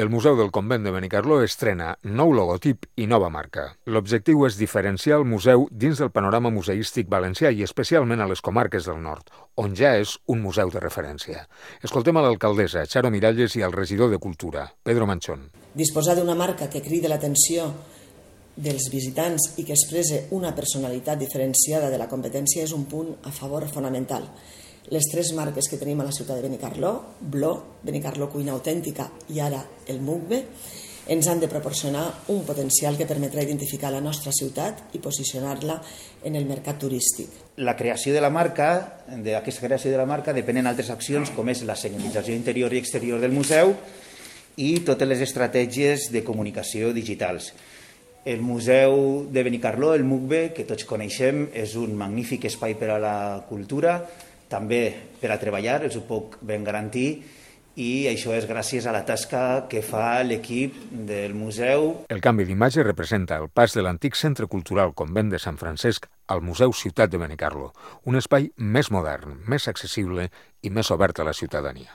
El Museu del Convent de Benicarló estrena nou logotip i nova marca. L'objectiu és diferenciar el museu dins del panorama museístic valencià i especialment a les comarques del nord, on ja és un museu de referència. Escoltem a l'alcaldessa, Charo Miralles, i al regidor de Cultura, Pedro Manchón. Disposar d'una marca que cridi l'atenció dels visitants i que expresse una personalitat diferenciada de la competència és un punt a favor fonamental. Les tres marques que tenim a la ciutat de Benicarló, Bló, Benicarló Cuina Autèntica i ara el Mugbe, ens han de proporcionar un potencial que permetrà identificar la nostra ciutat i posicionar-la en el mercat turístic. La creació de la marca, d'aquesta creació de la marca, depenen altres accions com és la senyalització interior i exterior del museu i totes les estratègies de comunicació digitals. El Museu de Benicarló, el Mugbe, que tots coneixem, és un magnífic espai per a la cultura, també per a treballar, els ho puc ben garantir, i això és gràcies a la tasca que fa l'equip del museu. El canvi d'imatge representa el pas de l'antic Centre Cultural Convent de Sant Francesc al Museu Ciutat de Benicarló, un espai més modern, més accessible i més obert a la ciutadania.